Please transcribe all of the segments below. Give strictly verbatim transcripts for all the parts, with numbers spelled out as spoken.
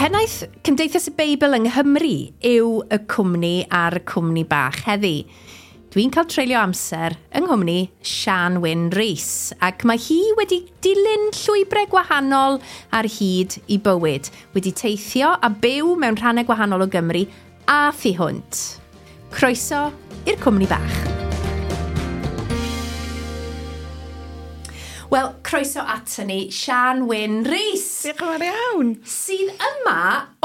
Pennaeth Cymdeithas y Beibl yng Nghymru yw y cwmni a'r cwmni bach heddi. Dwi'n cael treulio amser yng nghwmni Sian Wyn Rees, ac mae hi wedi dilyn llwybrau gwahanol ar hyd i bywyd, wedi teithio a byw mewn rhannau gwahanol o Gymru a thu hwnt. Croeso i'r cwmni bach. Wel, croeso ato ni, Sian Wyn Rees. Diolch yn fawr iawn. Sydd yma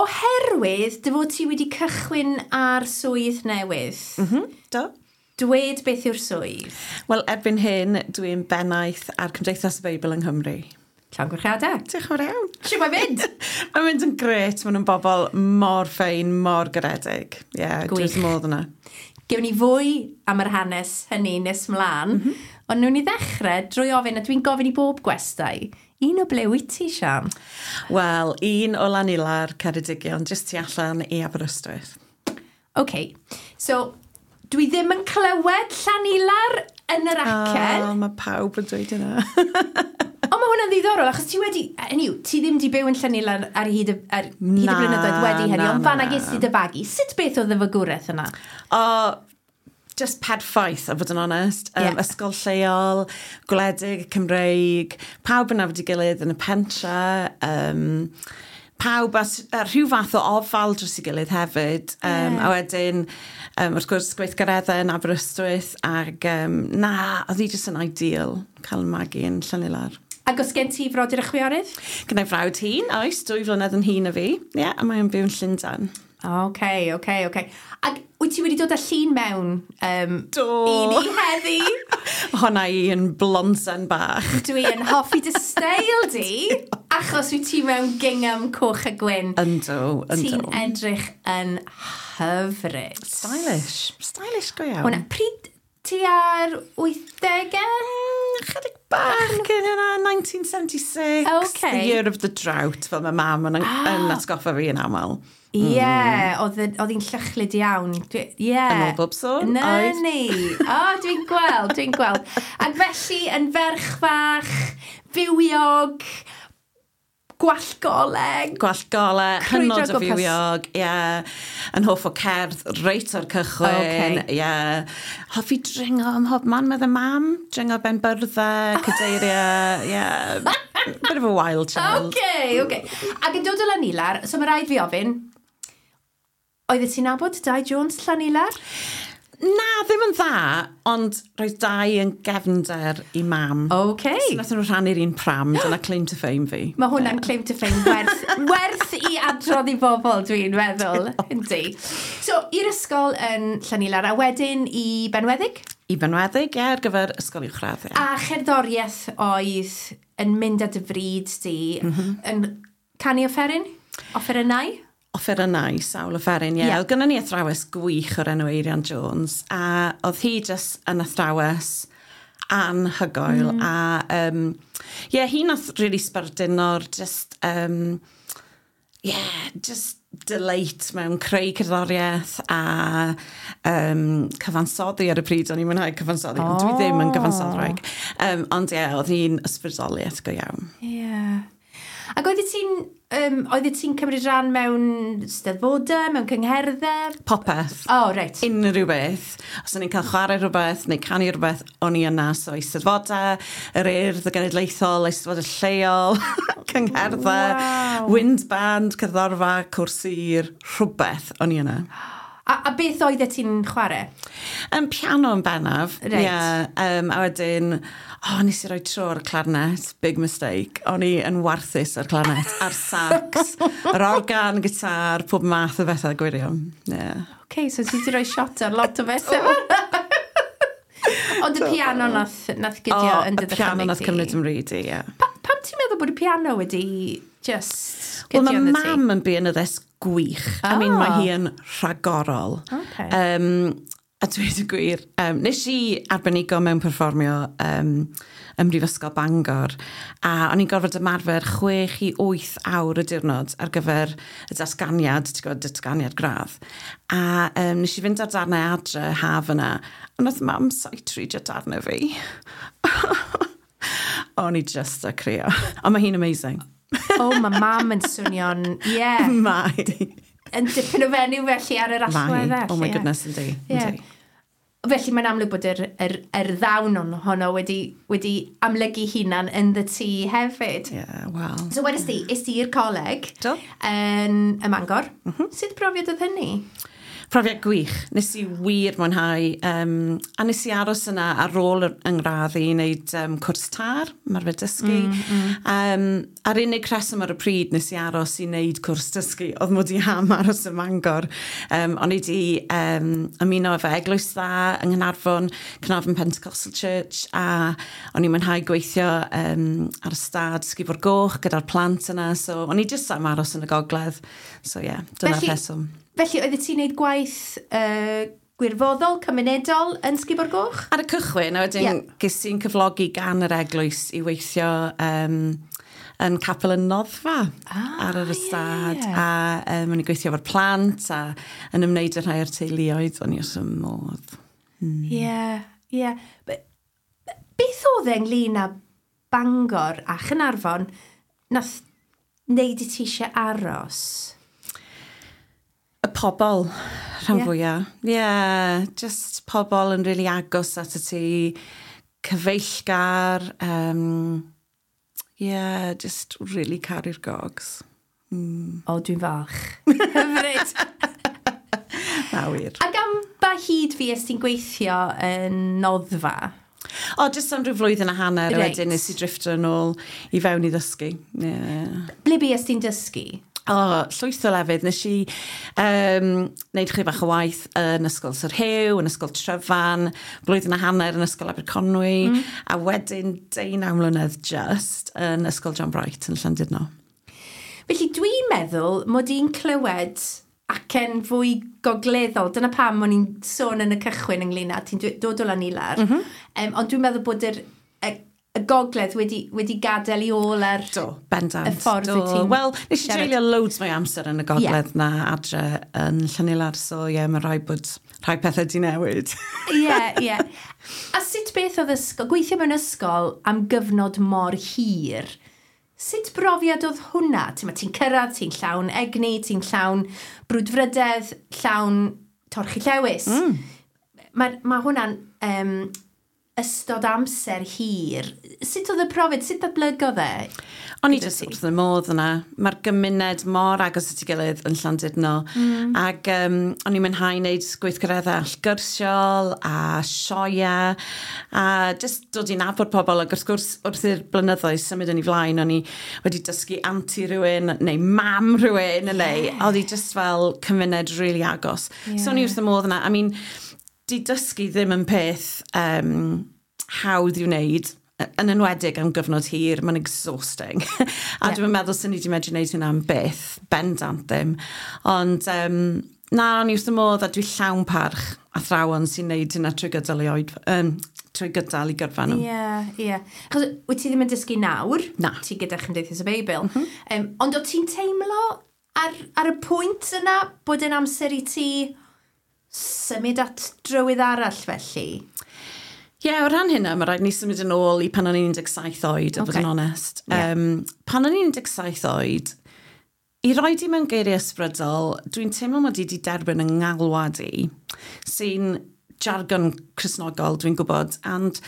oherwydd dy fod ti wedi cychwyn ar swydd newydd. Mm -hmm, do. Dwed beth yw'r swydd? Wel, erbyn hyn, dwi'n bennaeth ar Cymdeithas y Beibl yng Nghymru. Llongyfarchiadau. Diolch yn fawr iawn. Shwt mae'n mynd? Mae'n mynd yn grêt. Maen nhw'n bobl mor ffein, mor garedig. Ie, yeah, dwi'n wrth modd yna. Gewn ni fwy am yr hanes hynny nes mlaen, mm -hmm. ond newn ni ddechrau drwy ofyn, a dwi'n gofyn i bob gwestai, un o ble wyt ti, Sian? Wel, un o Lanilar, Ceredigion, jyst tu allan i Aberystwyth. OK, so dwi ddim yn clywed Llanilar yn yr acen. O, oh, mae pawb yn dweud yna. Ond mae hwnna'n ddiddorol, achos ti wedi, hynny yw, ti ddim wedi byw yn Llanilar ar hyd y, ar hyd y blynyddoedd wedi hynny, ond fan'na ges ti dy fagu. Sut beth oedd y fagwraeth yna? O, just perffaith, a fod yn onest. Um, yeah. Ysgol lleol, gwledig, Cymreig, pawb yn nabod ei gilydd yn y pentre, um, pawb a, a rhyw fath o ofal dros ei gilydd hefyd. Um, yeah. A wedyn, um, wrth gwrs, gweithgareddau yn Aberystwyth, ac um, na, oedd hi jyst yn ideal cael magu yn Llanilar. Ac os gen ti frodyr a chwiorydd? Gynna i frawd hŷn, oes, dwy flynedd yn hŷn na fi. Ie, yeah, a mae'n byw yn Llundain. OK, OK, OK. Ac wyt ti wedi dod â llun mewn um, Do. i ni heddi? Honna i yn blonsen bach. Dwi yn hoffi dy steil di, achos wyt ti mewn gingham coch a gwyn. Yndw, yndw. Ti'n edrych yn hyfryd. Stylish. Stylish go iawn. Hwna, pryd ti ar wythdegau? Mm, chydig bach cyn yna, nineteen seventy-six. Okay. The year of the drought, fel mae mam yn, ah. yn atgoffa fi yn aml. Ie, yeah, mm. oedd hi'n llychlyd iawn. Yeah. Yn ôl bob sôn. Na ni. O, dwi'n gweld, dwi'n gweld. Ac felly, yn ferch fach, fywiog, gwallgoleg. Gwallgoleg, hynod o fywiog, ie. Yeah. Yn hoff o cerdd reit o'r cychwyn, okay. ie. Yeah. Hoffi dringo ym mhob man, medde mam. Dringo ben byrddau, cadeiriau, ie. Yeah. Bit of a wild child. OK, OK. Ac yn dod o Lanilar, so mae rhaid fi ofyn, oeddet ti'n nabod Dai Jones Llanilar? Na, ddim yn dda, ond roedd Dai yn gefnder i mam. OK. So nath nhw rhannu'r un pram, dyna claim to fame fi. Mae hwnna'n yeah. claim to fame werth, werth i adrodd i bobl, dwi'n meddwl. Yndi. So, i'r ysgol yn Llanilar, a wedyn i Benweddig? I Benweddig, ie, ar gyfer ysgol uwchradd. Yeah. A cherddoriaeth oedd yn mynd â dy fryd di, mm -hmm. yn canu offeryn? Offerynnau? Offerynnau, sawl offeryn, ie. Yeah. Yeah. Oedd gynnon ni athrawes gwych o'r enw Eirian Jones, a oedd hi jyst yn athrawes anhygoel, mm. a um, yeah, hi nath really sbarduno'r just, um, yeah, just delight mewn creu cerddoriaeth a um, cyfansoddi ar y pryd. O'n i'n mwynhau cyfansoddi, oh. ond dwi ddim yn gyfansoddwraig. Um, ond ie, yeah, oedd hi'n ysbrydoliaeth go iawn. Ie. Yeah. Ac oeddet ti'n um, oeddet ti'n cymryd rhan mewn steddfodau, mewn cyngherddau? Popeth. Oh, reit. Unrhyw beth. Os o'n i'n cael chwarae rhywbeth neu canu rhywbeth, o'n i yna. So eisteddfodau, yr Urdd, y Genedlaethol, eisteddfodau lleol, cyngherddau, wow. Wind band, cerddorfa, cwrs sir, rhywbeth, o'n i yna. A, a beth oeddet ti'n chwarae? Um, piano yn bennaf. Reit. Yeah, um, a wedyn, oh, nes i roi tro ar y clarinet, big mistake. O'n i yn warthus ar clarinet, a'r sax, yr organ, gitar, pob math o bethau gwirion. Yeah. OK, so ti wedi rhoi shot ar lot o bethau. Ond y piano nath, nath gydio oh, yn dy y piano nath cymryd yn mryd i, ie. Pa, pam ti'n meddwl bod y piano wedi just gydio Wel, yn mae dy ti? Mam yn bianyddes gwych. Oh. I mean, mae hi yn rhagorol. Okay. Um, a dweud y gwir, um, nes i arbenigo mewn perfformio um, ym Mhrifysgol Bangor, a o'n i'n gorfod ymarfer chwech i wyth awr y diwrnod ar gyfer y datganiad, ti'n gwybod, datganiad gradd. A um, nes i fynd ar darnau adre haf yna, a nath mam sight-readio darnau fi. O'n i just a crio. Ond mae hi'n amazing. O, oh, mae mam yn swnio'n... Ie. Yeah. Mae. Yn dipyn o fenyw felly ar yr allwedd. Oh my goodness, yndi. Yeah. Felly mae'n amlwg bod yr, yr, yr ddawn honno wedi, wedi amlygu hunan yn dy ti hefyd. Yeah, well. So wedys di, es di i'r coleg Do. yn y Mangor. Mm -hmm. Sut brofiad oedd hynny? Profiad gwych. Nes i wir mwynhau. Um, a nes i aros yna ar ôl yr ngradd i wneud um, cwrs TAR, ymarfer dysgu. Mm, mm. Um, a'r unig rheswm ar y pryd nes i aros i wneud cwrs dysgu oedd mod i am aros ym Mangor. Um, o'n i di um, ymuno efo Eglwys Dda yng Nghaernarfon, Caernarfon Pentecostal Church, a o'n i'n mwynhau gweithio um, ar y stad Sgubor Goch gyda'r plant yna. So o'n i jyst am aros yn y gogledd. So ie, yeah, dyna'r rheswm. Felly, oeddet ti'n neud gwaith uh, gwirfoddol, cymunedol yn Sgubor Goch? Ar y cychwyn, a wedyn yeah. ges i'n cyflogi gan yr eglwys i weithio um, yn capel yn Noddfa ah, ar yr ystad. Yeah. A um, o'n i'n gweithio efo'r plant a yn ymwneud â rhai o'r teuluoedd, o'n i wrth y modd. Ie, ie. Beth oedd e ynglyn â Bangor a Chaernarfon nath wneud i ti eisiau aros? Y pobl, rhan Ie. fwyaf. Ie, yeah, just pobl yn really agos at y ti, cyfeillgar, um, yeah, just really caru'r gogs. O, dwi'n falch. Hyfryd. Na wir. Ac am ba hyd fi es ti'n gweithio yn Noddfa? O, jyst am rhyw flwyddyn a hanner, a Reit. wedyn nes i drifftio yn ôl i fewn i ddysgu. Yeah. Ble bues ti'n dysgu? O, llwyth o lefydd. Nes i um, wneud chydig bach o waith yn Ysgol Sir Hugh, yn Ysgol Tryfan, blwyddyn a hanner yn Ysgol Aberconwy, mm. a wedyn deunaw mlynedd just yn Ysgol John Bright yn Llandudno. Felly dwi'n meddwl mod i'n clywed acen fwy gogleddol. Dyna pam o'n i'n sôn yn y cychwyn ynglyn â ti'n dod o Lanilar. Mm -hmm. um, ond dwi'n meddwl bod yr, y, y gogledd wedi, wedi gadael i ôl ar Do, bendant. y ffordd Do. wyt ti'n Wel, nes i siarad. dreulio loads mwy amser yn y gogledd yeah. na adre yn Llanilar, so ie, yeah, mae rhaid bod rhai pethau di newid. Ie, ie. A sut beth oedd ysgol, gweithio mewn ysgol am gyfnod mor hir, sut brofiad oedd hwnna? Ti'n ti'n cyrraedd, ti'n llawn egni, ti'n llawn brwdfrydedd, llawn torchi llewis. Mm. Mae ma hwnna'n um, ystod amser hir. Sut oedd y profiad? Sut ddatblygodd e? O'n i jyst wrth y modd yna. Mae'r gymuned mor agos at ei gilydd yn Llandudno. Mm. Ac um, o'n i'n mwynhau wneud gweithgareddau allgyrsiol a sioia a jyst dod i nabod pobl. Ac wrth gwrs, wrth i'r blynyddoedd symud yn ei flaen, o'n i wedi dysgu anti rhywun neu mam rhywun, yeah. neu oedd hi just fel cymuned really agos. Yeah. So o'n i wrth y modd yna. I mean, di dysgu ddim yn peth um, hawdd i'w wneud, yn enwedig am gyfnod hir, mae'n exhausting. A Ie. dwi'n meddwl sy'n ni wedi medru wneud hynna am byth, bendant ddim. Ond um, na, o'n i wrth y modd a dwi llawn parch athrawon sy'n wneud hynna trwy gydol i oed, um, trwy gydol i gyrfa nhw. Ie, ie. Achos wyt ti ddim yn dysgu nawr? Na. Ti gyda Chymdeithas y Beibl. Mm -hmm. um, ond o ti'n teimlo ar, ar y pwynt yna bod yn amser i ti symud at drywydd arall felly? Ie, yeah, o ran hynna, mae rhaid ni symud yn ôl i pan o'n i'n un deg saith oed, a bod Ocê. yn onest. Ie. Um, pan o'n i'n un deg saith oed, i roi di mewn geiriau ysbrydol, dwi'n teimlo mod i wedi derbyn yng ngalwad i, sy'n jargon Cristnogol, dwi'n gwybod, and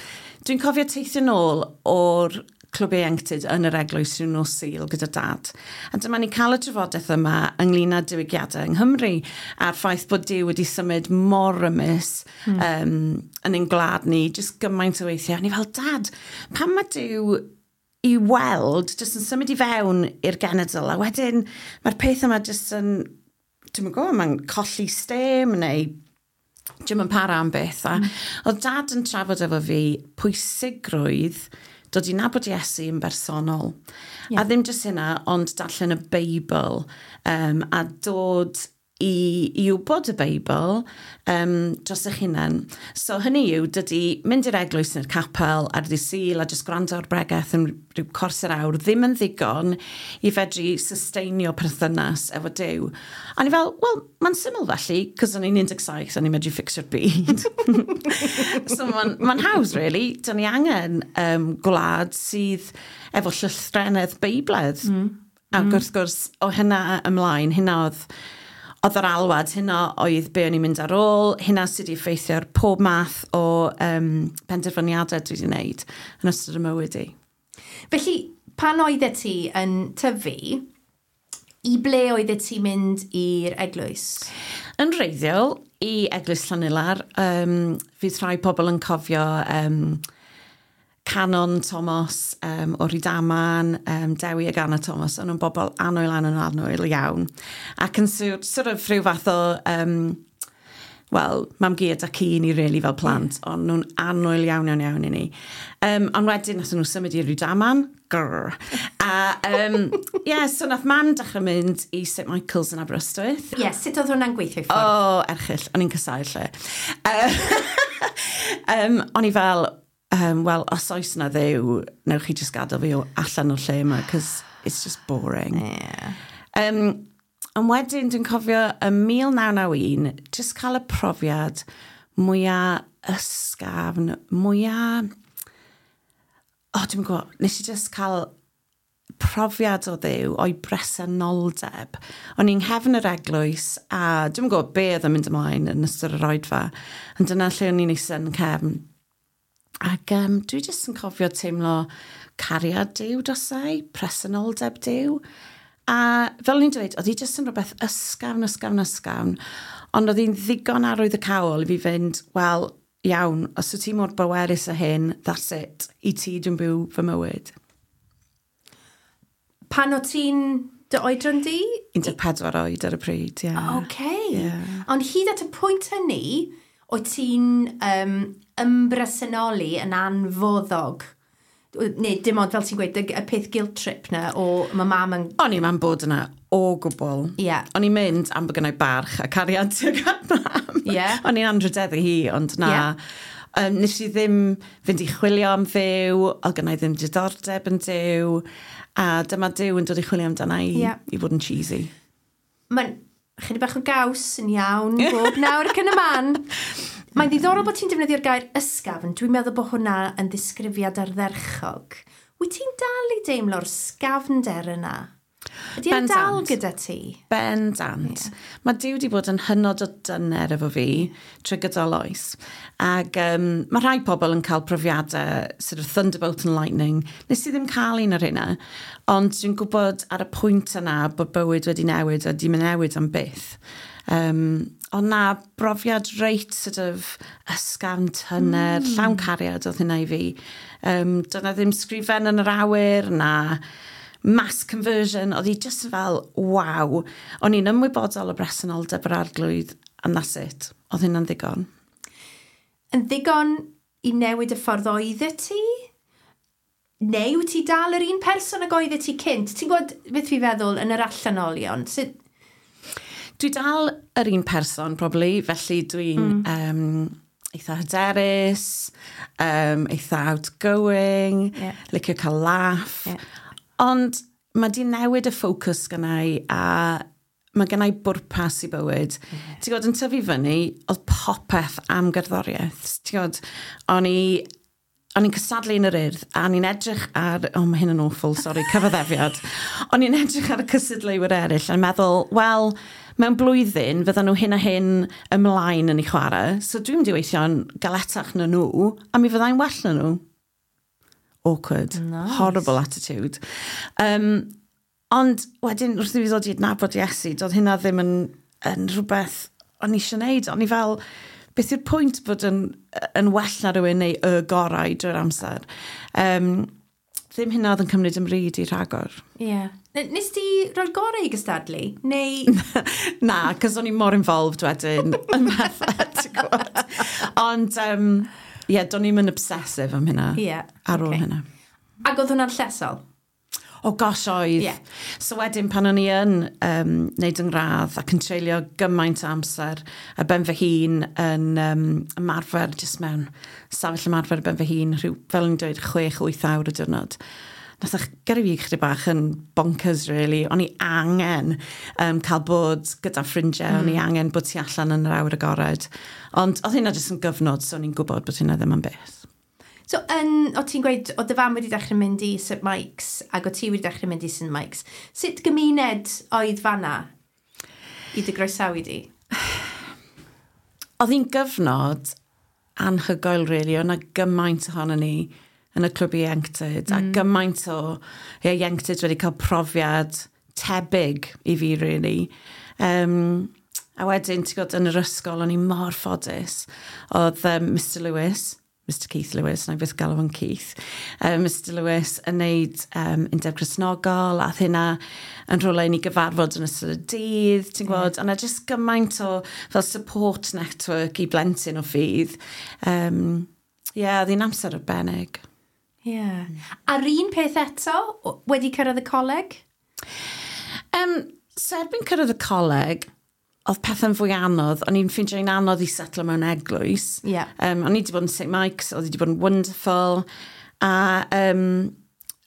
dwi'n cofio teithio nôl o'r clwb ieuenctid yn yr eglwys rhyw nos Sul gyda dad. A dyma ni cael y trafodaeth yma ynglyn â diwygiadau yng Nghymru a'r ffaith bod Duw wedi symud mor rymus mm. um, yn ein gwlad ni, jyst gymaint o weithiau. A ni fel, "Dad, pam mae Duw i weld jyst yn symud i fewn i'r genedl a wedyn mae'r peth yma jyst yn, dwi'n gwybod, mae'n colli stêm neu dim yn para am byth." A mm. oedd dad yn trafod efo fi pwysigrwydd dod i nabod Iesu yn bersonol. Ie. A ddim jyst hynna, ond darllen y Beibl um, a dod i, i wybod y Beibl um, dros eich hunain. So hynny yw, dydy mynd i'r eglwys neu'r capel ar ddydd Sul a jyst gwrando ar bregeth yn rhyw cwarter awr ddim yn ddigon i fedru susteinio perthynas efo Duw. A ni fel, "Wel, mae'n syml felly," cos o'n i'n un deg saith, o'n i'n medru fixio'r byd. So mae'n ma hawdd, really. Dyn ni angen um, gwlad sydd efo llythrennedd Beibledd. Mm. Ac mm. wrth gwrs, o hynna ymlaen, hynna oedd, oedd yr alwad, hynna oedd be o'n i'n mynd ar ôl, hynna sydd wedi effeithio ar pob math o um, penderfyniadau dwi wedi wneud yn ystod y mywyd i. Felly, pan oeddet ti yn tyfu, i ble oeddet ti'n mynd i'r eglwys? Yn wreiddiol, i Eglwys Llanilar, um, fydd rhai pobl yn cofio um, Canon Thomas um, o Rydaman, um, Dewi ag Anna Thomas, o'n nhw'n bobl annwyl, annwyl, annwyl iawn. Ac yn sort, sort of rhyw fath o, um, wel, mam-gu a dad-cu ni really fel plant, yeah. ond nhw'n annwyl iawn, iawn, iawn i ni. Um, ond wedyn nath nhw symud i Rydaman, grrr. A, um, yeah, so nath mam dechrau mynd i St Michael's yn Aberystwyth. Ie, yeah, sut oedd hwnna'n gweithio i ffwrdd? O, oh, erchyll, o'n i'n casáu'r lle. Uh, um, o'n i fel, um, wel, os oes na Dduw, newch chi just gadael fi o allan o'r lle yma, cos it's just boring. Yeah. Um, ond wedyn, dwi'n cofio ym mil naw naw un, just cael y profiad mwyaf ysgafn, mwyaf... O, oh, dwi'n gwybod, nes i just cael profiad o Dduw, o'i bresenoldeb. O'n i'n nghefn yr eglwys, a dwi'n gwybod be oedd yn mynd ymlaen yn ystod yr oedfa, ond dyna lle o'n i'n eistedd yn cefn. Ac um, dwi jyst yn cofio teimlo cariad Duw drosai, presenoldeb Duw. A fel o'n i'n dweud, oedd hi jyst yn rhywbeth ysgafn, ysgafn, ysgafn. Ond oedd hi'n ddigon arwyddocaol i fi fynd, wel, iawn, os wyt ti mor bwerus â hyn, that's it. I ti dwi'n byw fy mywyd. Pan o ti'n dy oedran di? un deg pedwar oed ar y pryd, ie. Yeah. OK. Yeah. Ond hyd at y pwynt hynny, o ti'n um, ymbresenoli yn anfoddog? Neu dim ond fel ti'n gweud, y, y peth guilt trip na o mae mam yn. O'n i'n man bod yna o gwbl. Ie. Yeah. O'n i'n mynd am bod gennau barch a cariad tuag at mam. Ie. O'n i'n anrhydeddu hi, ond na. Ie. Um, nes i ddim fynd i chwilio am Dduw, oedd gennau ddim diddordeb yn Duw, a dyma Duw yn dod i chwilio amdana i, Ie. i fod yn cheesy. Mae'n chydig bach o gaws yn iawn bob nawr ac yn y man. Mae'n ddiddorol bod ti'n defnyddio'r gair ysgafn. Dwi'n meddwl bod hwnna yn ddisgrifiad ardderchog. Wyt ti'n dal i deimlo'r sgafnder yna? Ydy e'n dal Bendant. gyda ti? Bendant. Yeah. Mae Duw wedi bod yn hynod o dyner efo fi trwy gydol oes. Ac um, mae rhai pobl yn cael profiadau sort of thunderbolt and lightning. Nes i ddim cael un o'r hynna, ond dwi'n gwybod ar y pwynt yna bod bywyd wedi newid a di mynd newid am byth. Um, ond na, brofiad reit sort of ysgafn, tyner, mm. llawn cariad oedd hynna i fi. Um, dyna ddim sgrifen yn yr awyr, na mass conversion, oedd hi just fel, waw. O'n i'n ymwybodol o bresenoldeb yr Arglwydd, and that's it. Oedd hynna'n ddigon. Yn ddigon i newid y ffordd oeddet ti? Neu wyt ti dal yr un person ag oeddet ti cynt? Ti'n gwybod beth fi feddwl yn yr allanolion? Sut? Dwi dal yr un person, probably, felly dwi'n mm. um, eitha hyderus, um, eitha outgoing, Ie. licio cael laugh. Ie. Ond mae di newid y ffocws gennau a mae gennau bwrpas i bywyd. Yeah. Ti'n gwybod, yn tyfu fyny, oedd popeth am gerddoriaeth. Ti'n gwybod, o'n i o'n i'n cystadlu yn yr Urdd, a o'n i'n edrych ar... Oh, mae hyn yn awful, sorry, cyfaddefiad. O'n i'n edrych ar y cystadleuwyr eraill a'n meddwl, wel, mewn blwyddyn, fyddan nhw hyn a hyn ymlaen yn ei chwarae, so dwi'n mynd i weithio'n galetach na nhw, a mi fyddai'n well na nhw. Awkward. Nice. Horrible attitude. Um, ond wedyn, wrth i fi ddod i adnabod Iesu, doedd hynna ddim yn, yn rhywbeth o'n i eisiau gwneud. O'n i fel, beth yw'r pwynt bod yn, yn well na rhywun neu y gorau drwy'r amser? Um, ddim hynna oedd yn cymryd 'y mryd i rhagor. Ie. Yeah. Nes ti roi'r gorau i gystadlu? Neu? Na, cos o'n i mor involved wedyn yn pethau, ti'n gwybod. Ond, um, ie, yeah, do'n i'm yn obsessive am hynna. Ie, Ar ôl ocê. hynna. Ac oedd hwnna'n llesol? O gosh oedd. Ie. So wedyn pan o'n i yn um, neud yng ngradd ac yn treulio gymaint o amser ar ben fy hun yn um, ymarfer, jyst mewn safell ymarfer ar ben fy hun, rhyw, fel o'n i'n dweud, chwech, wyth awr y diwrnod. Nath o gyrru fi chydig bach yn bonkers, really. O'n i angen um, cael bod gyda ffrindiau, mm. o'n i angen bod tu allan yn yr awyr agored. Ond oedd hynna jyst yn gyfnod, so o'n i'n gwybod bod hynna ddim yn beth. So, yn, o ti'n gweud, o dy fam wedi dechrau mynd i Saint Mike's, ac o ti wedi dechrau mynd i Saint Mike's. Sut gymuned oedd fanna i dy groesawu di? Oedd hi'n gyfnod anhygoel, really. Oedd yna gymaint ohono ni yn y clwb ieuenctid, mm. a gymaint o ieuenctid wedi cael profiad tebyg i fi, really. Um, a wedyn, ti'n gwybod, yn yr ysgol, o'n i mor ffodus. Oedd um, Mister Lewis, Mister Keith Lewis, na i byth galw fo'n Keith, um, Mister Lewis yn neud um, Undeb Cristnogol, a oedd hynna yn rhywle i ni gyfarfod yn ystod y dydd, ti'n gwybod, yeah. Yna just gymaint o fel support network i blentyn o ffydd. Um, yeah, oedd hi'n amser arbennig. Ie. Yeah. A'r un peth eto, wedi cyrraedd y coleg? Um, so erbyn cyrraedd y coleg, oedd pethau'n fwy anodd. O'n i'n ffeindio hi'n anodd i setlo mewn eglwys. Yeah. Um, o'n i wedi bod yn Saint Mike's, oedd wedi bod yn wonderful. A um,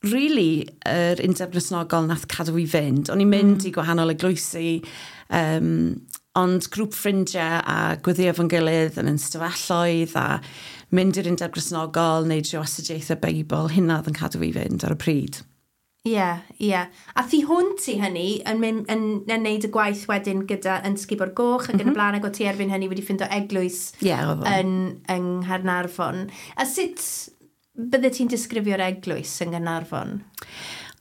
really, yr Undeb Gristnogol nath cadw i fynd. O'n i'n mynd mm. i gwahanol eglwysi, um, ond grŵp ffrindiau a gweddio efo'n gilydd yn ystafelloedd a mynd i'r Undeb Gristnogol, neud rhyw astudiaethau Beibl, hynna oedd yn cadw i fynd ar y pryd. Ie, yeah, ie. Yeah. A thu hwnt i hynny, yn, mynd, yn, yn neud y gwaith wedyn gyda yn Sgubor Goch ac mm -hmm. yn y blaen, ac o ti erbyn hynny wedi ffindo eglwys yeah, yn, yng Nghaernarfon. A sut bydde ti'n disgrifio'r eglwys yng Nghaernarfon?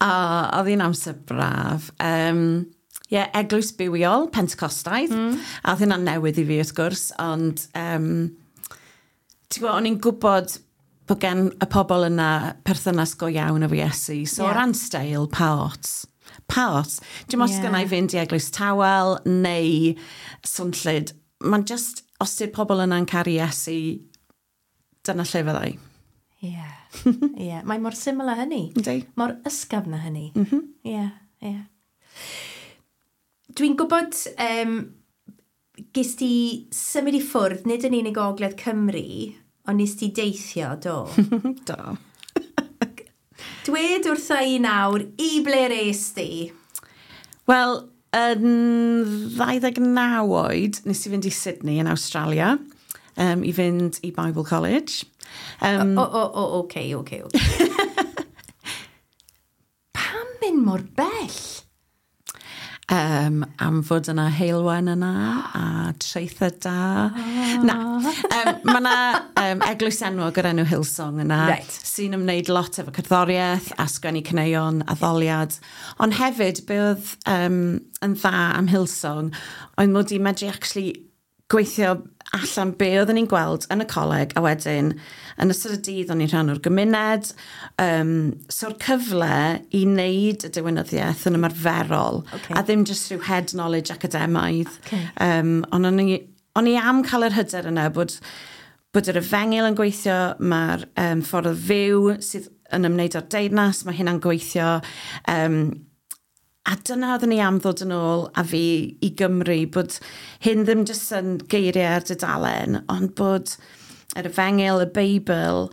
O, oedd hi'n amser braf. Um, yeah, eglwys bywiol, Pentecostaidd. Mm. A oedd hynna'n newydd i fi wrth gwrs, ond um, ti'n gwybod, o'n i'n gwybod bod gen y pobl yna perthynas go iawn efo Iesu. So yeah. o ran steil, pa ots. Pa ots. Dim os yeah. gynna i fynd i eglwys tawel neu swnllyd. Mae'n just, os di'r pobl yna'n caru Iesu, dyna lle fyddai. Ie. Yeah. yeah. Mae mor syml â hynny. Yndi. Mor ysgafn â hynny. Ie, mm -hmm. yeah, ie. Yeah. Dwi'n gwybod um, ges ti symud i ffwrdd, nid yn unig o Ogledd Cymru, ond nes ti deithio, do? Do. Dwed wrtha i nawr, i ble es di? Wel, yn ddau ddeg naw oed, nes i fynd i Sydney yn Australia, um, i fynd i Bible College. Um, o, o, o, oce, oce, oce. Pam mynd mor bell? Um, am fod yna heulwen yna a traethau da. Oh. Na, um, mae yna um, eglwys enwog o'r enw Hillsong yna right. sy'n ymwneud lot efo cerddoriaeth a sgwennu caneuon, addoliad. Ond hefyd, be oedd um, yn dda am Hillsong oedd mod i'n medru actually gweithio allan be oedden ni'n gweld yn y coleg, a wedyn yn ystod y dydd o'n i'n rhan o'r gymuned. Um, so'r cyfle i wneud y diwinyddiaeth yn ymarferol okay. a ddim just rhyw head knowledge academaidd. Okay. Um, ond o'n i, o'n i am cael yr hyder yna bod, bod yr efengyl yn gweithio, mae'r um, ffordd o fyw sydd yn ymwneud â'r deyrnas, mae hynna'n gweithio. Um, A dyna oeddwn ni am ddod yn ôl a fi i Gymru, bod hyn ddim jyst yn geiriau ar dudalen, ond bod yr efengyl, y Beibl,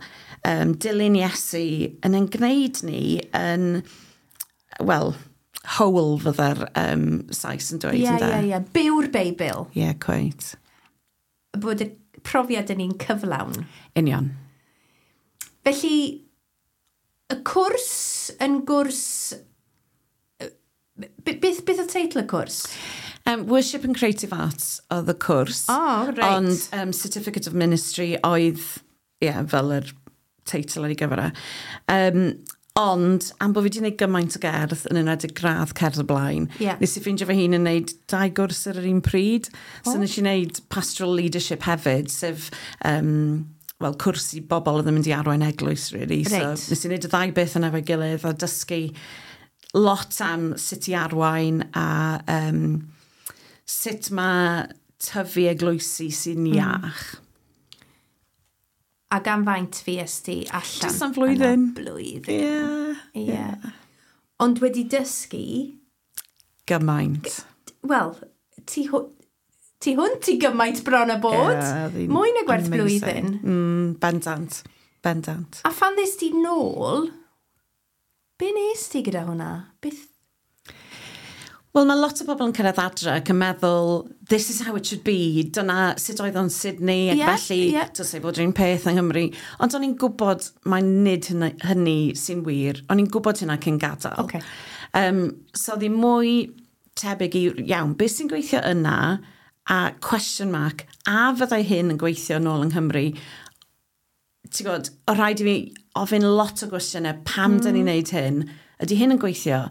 um, dilyn Iesu yn ein gwneud ni yn, wel, whole fydda'r um, Sais yn dweud. Ie, ie, ie. Byw'r Beibl. Ie, yeah, quite. Bod y profiad yn un cyflawn. Union. Felly, y cwrs yn gwrs. Beth, beth oedd teitl y cwrs? Um, Worship and Creative Arts oedd y cwrs. Oh, right. Ond um, Certificate of Ministry oedd, ie, yeah, fel yr teitl ar ei gyfer e. Um, ond, am bod fi wedi gwneud gymaint o gerdd yn enwedig gradd cerdd o blaen, yeah. nes i ffeindio fy hun yn gwneud dau gwrs ar yr un pryd. So Oh. nes i wneud Pastoral Leadership hefyd, sef um, wel, cwrs i bobl oedd yn mynd i arwain eglwys, really. Reit. So nes i wneud y ddau beth yna efo'i gilydd a dysgu lot am sut i arwain a um, sut mae tyfu eglwysi sy'n Mm. iach. A gan faint fues ti allan? Jyst am flwyddyn. Yna? Blwyddyn. Ie. Ie. Ond wedi dysgu, Gymaint. Wel, ti, hw- ti hwnt i gymaint bron a bod. Ie, oedd hi'n Mwy na gwerth amazing. blwyddyn. Mm, bendant. Bendant. A phan ddest ti nôl, be nes ti gyda hwnna? Beth? Wel, mae lot o bobl yn cyrraedd adre ac yn meddwl, "This is how it should be", dyna sut oedd o'n Sydney, ac Ie, felly ie. dylse fod yr un peth yng Nghymru. Ond o'n i'n gwybod mae nid hynny, hynny sy'n wir. O'n i'n gwybod hynna cyn gadael. Ocê. Um, so oedd hi mwy tebyg i, iawn, beth sy'n gweithio yna, a question mark, a fyddai hyn yn gweithio nôl yng Nghymru? Ti'n gwybod, o rhaid i fi ofyn lot o gwestiynau, pam mm. dyn ni'n neud hyn? Ydy hyn yn gweithio?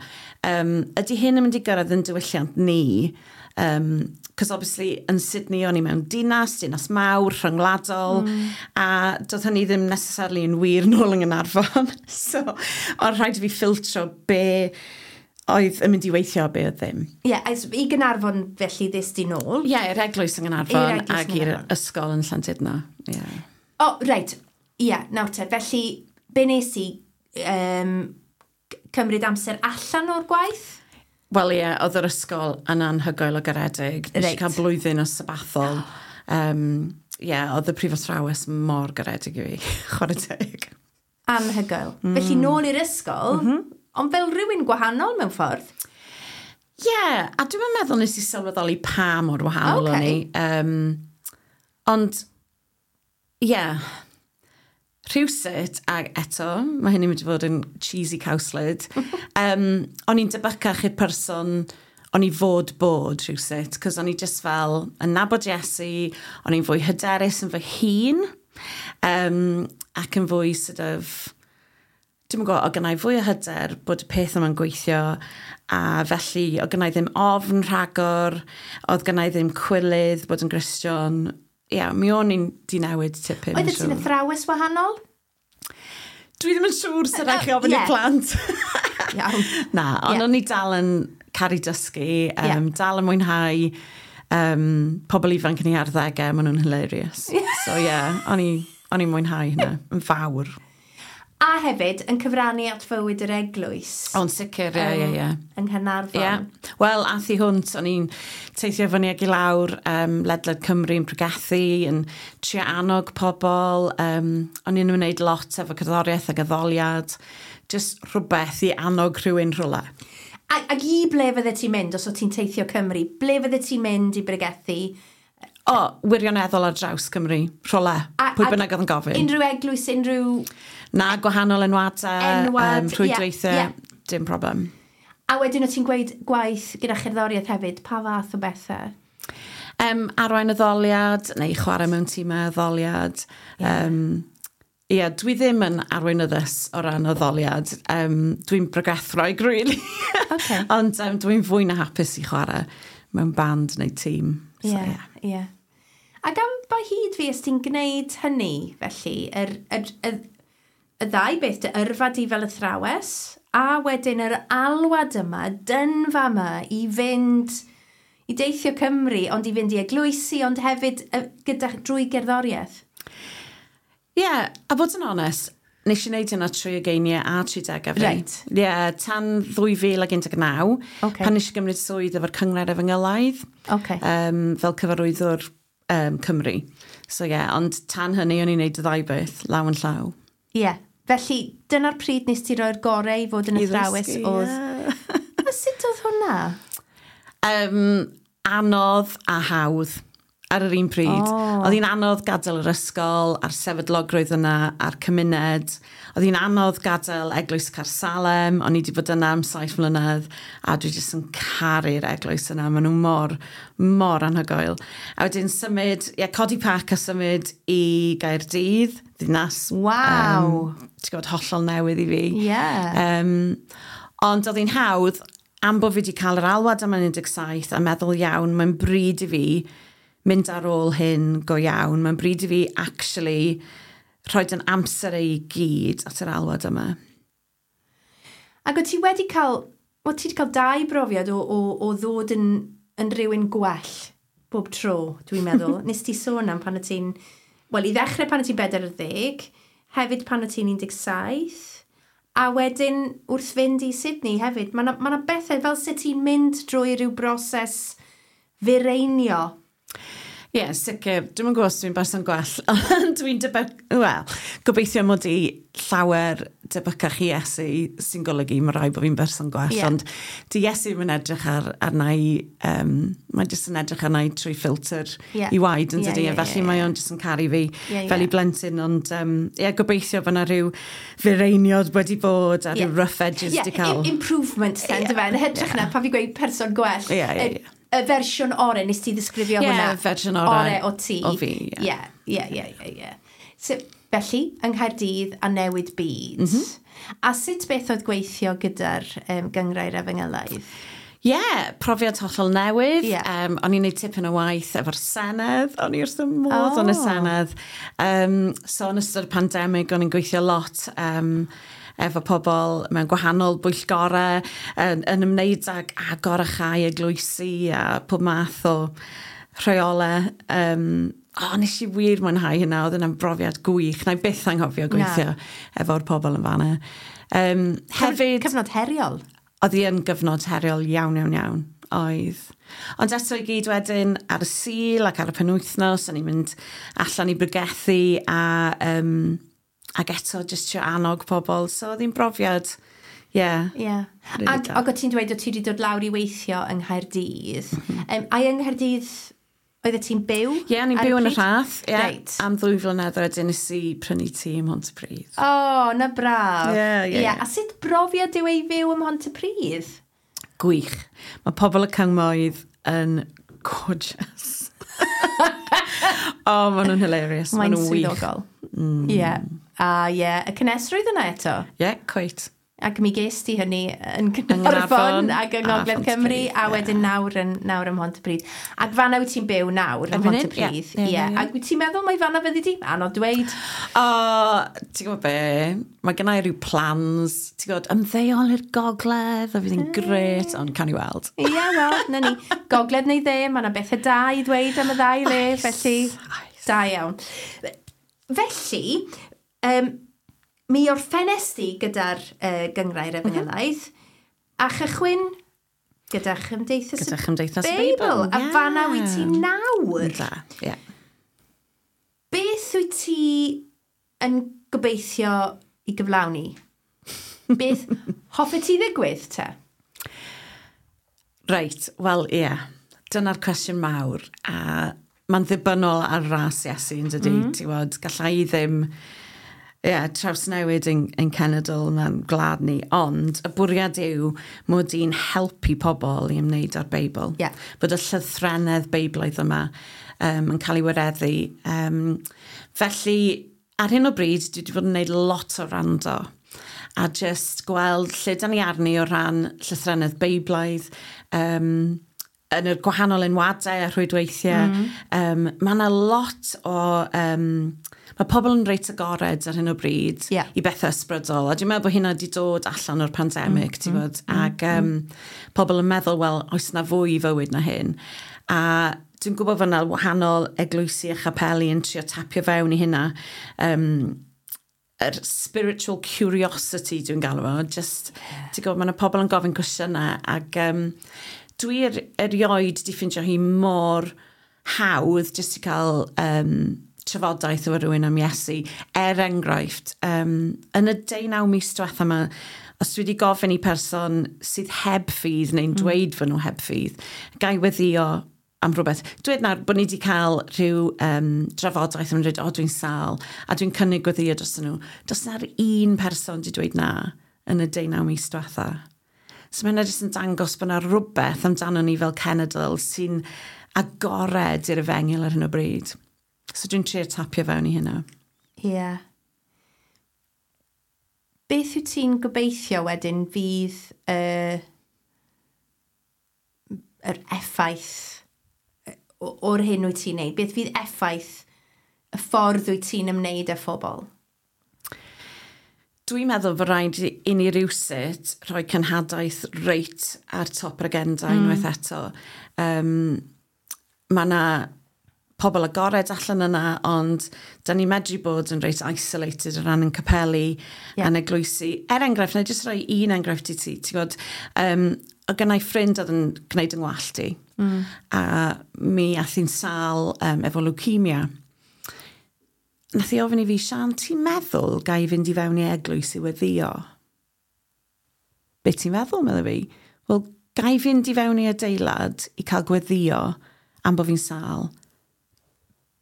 Um, ydy hyn yn mynd i gyrraedd yn diwylliant ni? Um, Cos obviously yn Sydney o'n i mewn dinas, dinas mawr, rhyngwladol, mm. a doedd hynny ddim necessarily yn wir nôl yng Nghaernarfon. So, oedd rhaid i fi ffiltro be oedd yn mynd i weithio a be oedd ddim. Ie, yeah, i Gaernarfon felly ddest di nôl. Ie, yeah, i'r eglwys yng I'r Nghaernarfon eglwys ac yng i'r Nghaernarfon. ysgol yn Llandudno. Yeah. O, oh, reit. Ie, yeah, nawr te. Felly, be nes i um, cymryd amser allan o'r gwaith? Wel ie, oedd yr ysgol yn anhygoel o garedig. Nes i Reit. cael blwyddyn o sabathol. Um, ie, yeah, oedd y prifathrawes mor garedig i fi, chwarae teg. Anhygoel. Mm. Felly, nôl i'r ysgol, mm -hmm. ond fel rhywun gwahanol mewn ffordd. Ie, yeah, a dwi'n meddwl nes i sylweddoli pa mor wahanol Ocê. o'n i. Um, ond, ie, yeah, rhywsut, ac eto, mae hynny'n mynd i fod yn cheesy cowslyd, um, o'n i'n debycach i'r person o'n i fod bod rhywsut, cos o'n i just fel yn nabod Iesu, o'n i'n fwy hyderus yn fy hun, um, ac yn fwy sort of, dwi'n gwybod, o gennau fwy o hyder bod y peth yma'n gweithio, a felly o gennau ddim ofn rhagor, oedd gennau ddim cwilydd bod yn Gristion. Ie, yeah, mi o'n i'n di newid tipyn. Oedd ti'n athrawes wahanol? Dwi ddim yn siŵr sy'n rhaid chi ofyn Ie. i'r plant. Iawn. Na, ond Ie. o'n i dal yn caru dysgu, um, Ie. dal yn mwynhau um, pobl ifanc yn eu arddegau, maen nhw'n hilarious. So ie, yeah, o'n i, o'n i'n mwynhau hynna, yn fawr. A hefyd, yn cyfrannu at fywyd yr eglwys. O'n sicr, ie, ie, ie. Yng Nghaernarfon. Ie. Wel, ath i hwnt, o'n i'n teithio fyny ag i lawr um, ledled Cymru yn pregethu, yn trio annog pobl. Um, o'n i'n ymwneud lot efo cerddoriaeth ac addoliad. Just rhywbeth i annog rhywun rhywle. A, ac i ble fydde ti'n mynd os o ti'n teithio Cymru? Ble fydde ti'n mynd i bregethu? O, wirioneddol ar draws Cymru, rhywle. A- Pwy ac bynnag oedd yn gofyn. Unrhyw eglwys, unrhyw... Na, gwahanol enwadau, Enwad, um, ie, rhwydweithiau, ie. dim problem. A wedyn o ti'n gweud gwaith gyda cherddoriaeth hefyd, pa fath o bethau? Um, arwain addoliad, neu chwarae mewn tîmau addoliad. Ie, um, yeah, dwi ddim yn arweinyddes o ran addoliad. Um, dwi'n bregethwraig, really. Ocê. Ond um, dwi'n fwy na hapus i chwarae mewn band neu tîm. Ie, So, yeah, ie. ie. Ac am ba hyd fi ys ti'n gwneud hynny, felly, yr, yr, y, y ddau beth, dy yrfa di fel athrawes, a wedyn yr alwad yma, dynfa yma, i fynd, i deithio Cymru, ond i fynd i eglwysi, ond hefyd y, gyda, drwy gerddoriaeth. Ie, yeah, a bod yn onest, nes i wneud hynna trwy ugeiniau a tri degau fi. Reit. Ie, yeah, tan dwy fil ac un deg naw, Ocê. pan nes i gymryd swydd efo'r Cynghrair Efengylaidd. Ocê. Um, fel cyfarwyddwr um, Cymru. So ie, yeah, ond tan hynny o'n i'n neud y ddau beth, law yn llaw. Ie. Yeah. Felly, dyna'r pryd nes ti roi'r gorau i fod yn I athrawes ddysgu, oedd... ie. A sut oedd hwnna? Um, anodd a hawdd ar yr un pryd. O. Oedd hi'n anodd gadael yr ysgol, a'r sefydlogrwydd yna, a'r cymuned. Oedd hi'n anodd gadael Eglwys Caersalem, o'n i wedi bod yna am saith mlynedd, a dwi jyst yn caru'r eglwys yna. Maen nhw mor, mor anhygoel. A wedyn symud, ie, codi pac a symud i Gaerdydd, ddinas. Waw. Um, ti'n gwybod, hollol newydd i fi. Ie. Um, ond oedd hi'n hawdd, am bod fi wedi cael yr alwad am yn un deg saith a meddwl iawn, mae'n bryd i fi mynd ar ôl hyn go iawn. Mae'n bryd i fi actually rhoi yn amser ei gyd at yr alwad yma. Ac o ti wedi cael, o ti wedi cael dau brofiad o, o, o ddod yn, yn rhywun gwell bob tro, dwi'n meddwl. Nes ti sôn am pan o ti'n, wel, i ddechrau pan o ti'n bedair ar ddeg, hefyd pan o ti'n un deg saith, a wedyn wrth fynd i Sydney hefyd. Mae yna ma bethau fel sut ti'n mynd drwy rhyw broses fireinio. Ie, Ie, yeah, sicr. Dwi'm yn gwybod os dwi'n berson gwell, ond dwi'n debyg... Wel, gobeithio mod i llawer debycach i Iesu, sy'n golygu mae rhaid bod fi'n berson gwell, Ie. ond di Iesu ddim yn edrych ar, arna i, um, mae jyst yn edrych arna i trwy ffilter Ie. i waed yn Ie, dydi, ie, a felly ie, mae ie. o'n jyst yn caru fi Ie, fel ie. i blentyn, ond um, ie, gobeithio bod yna rhyw fireiniod wedi bod a rhyw Ie. rough edges Ie, di cael. im- improvement, then, Ie, yeah, yn hytrach na, pan fi gweud person gwell. Ie, ie, y- ie. Y fersiwn orau, nes ti ddisgrifio Ie, hwnna? fersiwn orau Orau o ti. o fi, ie. Ie, ie, ie, ie, ie. So, felly, yng Nghaerdydd a newid byd. Mm Mhm. -hmm. A sut beth oedd gweithio gyda'r um, Gynghrair Efengylaidd? Ie, yeah, profiad hollol newydd. Ie. Um, o'n i'n neud tipyn o waith efo'r Senedd. O'n i wrth y modd Oh. yn y Senedd. Um, so yn ystod y pandemig, o'n i'n gweithio lot um, efo pobl mewn gwahanol bwyllgorau yn, yn ymwneud ag agor a chau eglwysi a pob math o rheolau. Um, o, nes i wir mwynhau hynna, oedd hynna'n brofiad gwych. Na i byth anghofio gweithio efo'r pobl yn fanna. Um, hefyd... Cyfnod heriol. Oedd hi yn gyfnod heriol iawn, iawn, iawn. Oedd. Ond eto i gyd wedyn ar y Sul ac ar y penwythnos, o'n i'n mynd allan i bregethu a, um, ac eto jyst trio annog pobl. So oedd hi'n brofiad, ie. Yeah. Ie. Yeah. Really Ac, da. ac o ti'n dweud o ti wedi dod lawr i weithio yng Nghaerdydd. Mm -hmm. um, a yng Nghaerdydd, oeddet ti'n byw? Ie, yeah, o'n i'n ar byw yn y pryd? Rhath. Yeah, Reit. Am ddwy flynedd wedyn nes i prynu tŷ ym Mhontypridd. O, oh, na braf. Ie, ie, ie. A sut brofiad yw ei fyw ym Mhontypridd? Gwych. Mae pobl y cymoedd yn gorgeous. O, oh, maen nhw'n hilarious. Mae'n Maen nhw'n wych. swyddogol. Ie. Yeah. A ie, yeah. Y cynnesrwydd yna eto. Ie, yeah, quite. Ac mi ges ti hynny yn Nghaernarfon Caernarfon ac yng a Ngogledd Cymru Pontypridd, a ie. wedyn nawr yn, nawr ym Mhontypridd. Ac fanna wyt ti'n byw nawr ym Erbyn hyn, Mhontypridd. ie. Ie, Ie. ie, ie. Ac wyt ti'n meddwl mai fanna fyddi di? Anodd dweud. O, ti'n gwybod be? Mae gennau rhyw plans, ti'n gwybod, ymddeol i'r gogledd, a fydd hi'n grêt, ond cawn ni weld. Ie, wel, na ni. Gogledd neu dde, mae yna bethau da i ddweud am y ddau le, felly oes. da iawn. Felly, um, mi orffennes di gyda'r uh, Gynghrair Efengylaidd, a chychwyn gyda Chymdeithas Gyda y Chymdeithas y Beibl. Beibl, A ie. fanna wyt ti nawr. Da, ie. Beth wyt ti yn gobeithio i gyflawni? Beth hoffet ti ddigwydd te? Reit, wel, ie. Dyna'r cwestiwn mawr. A mae'n ddibynnol ar ras Iesu, yn dydy. Mm. Ti'n gwybod, gallai i ddim ie, trawsnewid ein, ein cenedl na'n gwlad ni, ond y bwriad yw mod i'n helpu pobl i ymwneud â'r Beibl. Ie. Bod y llythrennedd Beiblaidd yma um, yn cael ei wireddu. Um, felly, ar hyn o bryd, dwi wedi bod yn gwneud lot o wrando a just gweld lle da ni arni o ran llythrennedd Beiblaidd, um, yn y gwahanol enwadau a rhwydweithiau. Mm. Um, mae yna lot o... Um, mae pobl yn reit agored ar hyn o bryd Ie. i bethau ysbrydol. A dwi'n meddwl bod hynna wedi dod allan o'r pandemig, mm. ti'n gwybod? Ac um, pobl yn meddwl, wel, oes na fwy i fywyd na hyn. A dwi'n gwybod fod yna wahanol eglwysi a chapeli yn trio tapio fewn i hynna. Um, yr spiritual curiosity dwi'n galw fo, just, yeah. ti'n gwybod, mae yna pobl yn gofyn cwestiynau ac um, dwi er, erioed di ffindio hi mor hawdd jyst i cael um, trafodaeth efo rhywun am Iesu. Er enghraifft, um, yn y deunaw mis diwetha yma, os dwi wedi gofyn i person sydd heb ffydd neu'n dweud fod nhw heb ffydd, gai weddio am rhywbeth. Dweud nawr bod ni wedi cael rhyw um, drafodaeth yn dweud, o, dwi'n sâl, a dwi'n cynnig gweddio dros nhw. Does na'r un person wedi dweud na yn y deunaw mis diwetha. So mae hynna jyst yn dangos bod yna rhywbeth amdano ni fel cenedl sy'n agored i'r efengyl ar hyn o bryd. So dwi'n trio tapio fewn i hynna. Ie. Yeah. Beth wyt ti'n gobeithio wedyn fydd uh, yr effaith yy, o- o'r hyn wyt ti'n neud? Beth fydd effaith y ffordd wyt ti'n ymwneud â phobl? Dwi'n meddwl bod rhaid i i ni rywsut rhoi cenhadaeth reit ar top yr agenda mm. unwaith eto. Um, mae yna pobl agored allan yna, ond da ni'n medru bod yn reit isolated o ran yn capeli Ie. yeah. a'n eglwysi. Er enghraifft, na i jyst rhoi un enghraifft i ti. Ti'n gwybod, um, o gynna i ffrind oedd yn gwneud yng ngwallt i. Mm. A mi ath hi'n sâl um, efo leukemia. Nath hi ofyn i fi, "Sian, ti'n meddwl ga i fynd i fewn i eglwys i weddio?" "Be ti'n meddwl?" meddwl fi. "Wel, ga i fynd i fewn i adeilad i cael gweddio am bod fi'n sâl?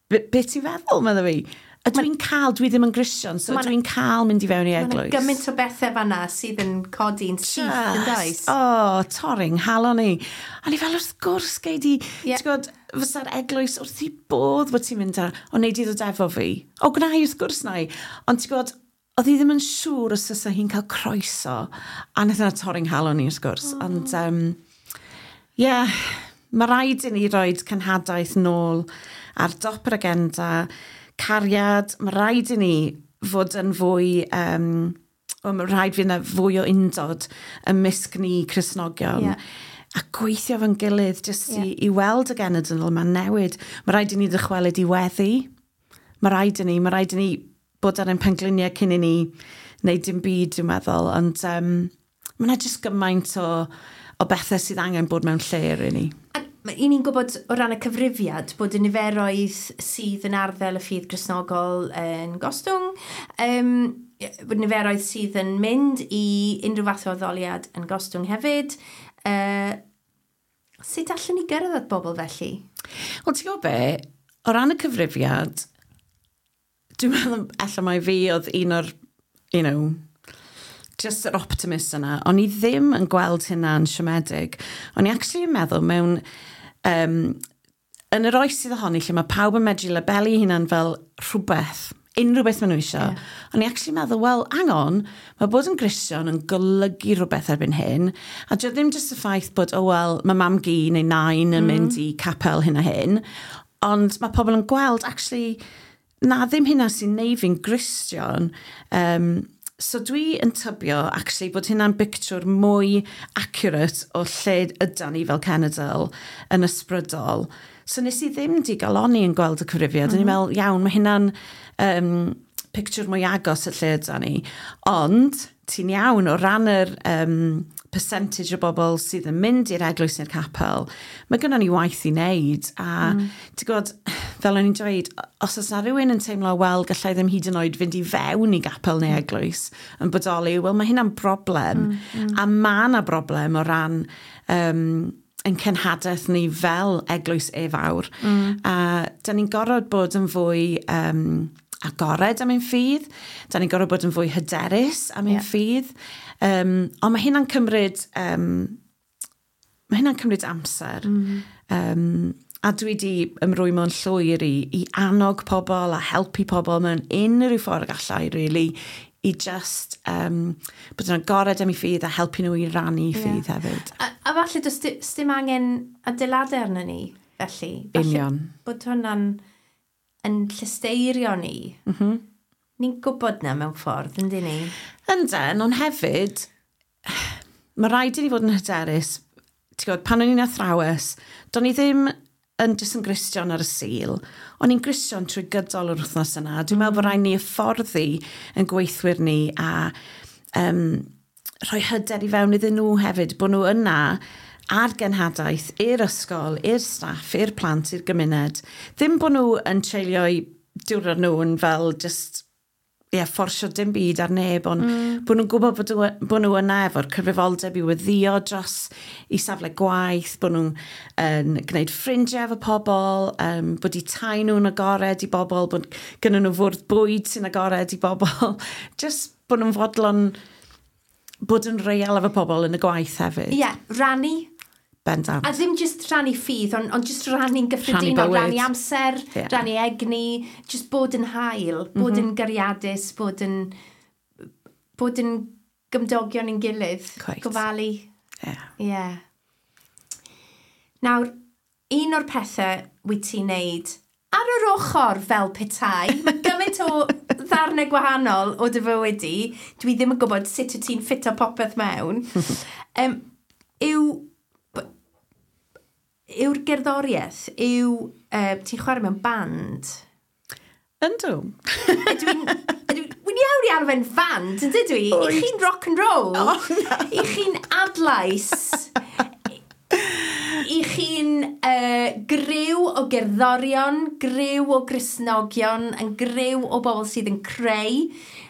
Be, be ti'n feddwl?" meddwl fi. A dwi'n cael, dwi ddim yn Gristion, so dwi'n cael mynd i fewn i eglwys. Mae'n gymaint o bethau fanna sydd yn codi'n syth, yn does? O, oh, torri'n nghalon i. A ni fel, "Wrth gwrs, gei di," yeah. Ti'n gwybod, fysa'r eglwys wrth i bodd bod ti'n mynd ar, "O, nei di ddod efo fi?" "O, gwna i, wrth gwrs na i." Ond ti'n gwybod, oedd hi ddim yn siŵr os fysa hi'n cael croeso. A nath yna torri'n nghalon i, wrth gwrs. Oh. Ond, um, yeah, mae rhaid i ni roed cenhadaeth nôl ar dop yr agenda, cariad, mae rhaid i ni fod yn fwy, um, well, mae rhaid fydd yna fwy o undod ymysg ni Cristnogion. Yeah. A gweithio fo'n gilydd jyst yeah. i, i weld y genedl yma'n newid. Mae rhaid i ni ddychwelyd i weddi. Mae rhaid i ni, mae rhaid i ni bod ar ein pengliniau cyn i ni wneud dim byd, dwi'n meddwl. Ond um, mae yna jyst gymaint o, o bethau sydd angen bod mewn lle, really. A i ni'n gwybod o ran y cyfrifiad bod y niferoedd sydd yn arddel y ffydd Gristnogol yn gostwng, um, bod niferoedd sydd yn mynd i unrhyw fath o addoliad yn gostwng hefyd. Uh, sut allwn ni gyrraedd at bobl felly? Wel, ti'n gwybod be, o ran y cyfrifiad, dwi'n meddwl ella mai fi oedd un o'r, you know, just yr optimist yna. O'n i ddim yn gweld hynna'n siomedig. O'n i actually yn meddwl mewn, um, yn yr oes sydd ohoni lle mae pawb yn medru labelu hunan fel rhywbeth, unrhyw beth maen nhw eisiau. Yeah. O'n i actually meddwl, well, hang on, mae bod yn Gristion yn golygu rhywbeth erbyn hyn. A dio ddim jyst y ffaith bod, oh well, mae mam-gu neu nain yn mm. mynd i capel hyn a hyn, ond mae pobl yn gweld, actually, na, ddim hynna sy'n neud fi'n Gristion. Um, so dwi yn tybio, actually, bod hynna'n bictiwr mwy accurate o lle ydan ni fel cenedl yn ysbrydol. So nes i ddim digalonni yn gweld y cyfrifiad. Mm -hmm. O'n i'n meddwl, iawn, mae hynna'n um, pictiwr mwy agos y lle ydan ni. Ond, ti'n iawn, o ran yr um, percentage o bobl sydd yn mynd i'r eglwys neu'r capel, mae gynnon ni waith i wneud. A mm. ti'n gwybod, fel o'n i'n dweud, os oes na rhywun yn teimlo, wel, gallai ddim hyd yn oed fynd i fewn i gapel neu eglwys yn bodoli, wel, mae hynna'n broblem. Mm, mm. A mae yna broblem o ran um, yn cenhadaeth ni fel eglwys e-fawr. Mm. A da ni'n gorfod bod yn fwy um, agored am ein ffydd. Da ni'n gorfod bod yn fwy hyderus am ein yeah. ffydd. Um, ond mae hynna'n cymryd, um, mae hynna'n cymryd amser. Mm. Um, a dwi wedi ymrwymo'n llwyr i, i annog pobl a helpu pobl mewn unrhyw ffordd gallai, really, i just um, bod yn agored am eu ffydd a helpu nhw i rannu yeah. ffydd hefyd. A, a falle does dim angen adeiladau arno ni, felly. Falle Union. bod hwnna'n yn llesteirio ni. Mm -hmm. Ni'n gwybod na mewn ffordd, yndyn ni? Ynden, ond hefyd, mae rhaid i ni fod yn hyderus. Ti'n gwybod, pan o'n i'n athrawes, do'n i ddim yn jyst yn Gristion ar y Sul. O'n i'n Gristion trwy gydol yr wythnos yna. Dwi'n meddwl bod rhaid ni hyfforddi yn gweithwyr ni a um, rhoi hyder i fewn iddyn nhw hefyd, bod nhw yna ar genhadaeth i'r ysgol, i'r staff, i'r plant, i'r gymuned. Ddim bod nhw yn treulio'u diwrnod nhw yn fel just ie, yeah, fforsio dim byd ar neb, ond mm. bod nhw'n gwybod bod, nhw- bod nhw yna efo'r cyfrifoldeb i weddio dros i safle gwaith, bod nhw'n yn gwneud ffrindiau efo pobl, um, bod eu tai nhw'n agored i bobl, bod gynnu nhw fwrdd bwyd sy'n agored i bobl. Just bod nhw'n fodlon bod yn real efo pobl yn y gwaith hefyd. Ie, yeah, rannu. Bendant. A ddim just rannu ffydd, ond, ond just rannu'n gyffredinol, bywyd. Rannu amser, Ie. rannu egni, just bod yn hael, bod mm -hmm. yn gariadus, bod yn, bod yn gymdogion yn gilydd. Quite. Gofalu. Yeah. Ie. Yeah. Nawr, un o'r pethau wyt ti'n neud ar yr ochr fel petai, mae gymaint o ddarnau gwahanol o dy fywyd di, dwi ddim yn gwybod sut wyt ti'n ffito popeth mewn, um, yw yw'r gerddoriaeth, yw uh, ti'n chwarae mewn band. Yndw. Ydw i'n... ydw i- Wy'n iawn i arfer fand, yn dydw i? I chi'n rock and roll. O, na. I chi'n adlais. I chi'n uh, griw o gerddorion, griw o Gristnogion, yn griw o bobl sydd yn creu,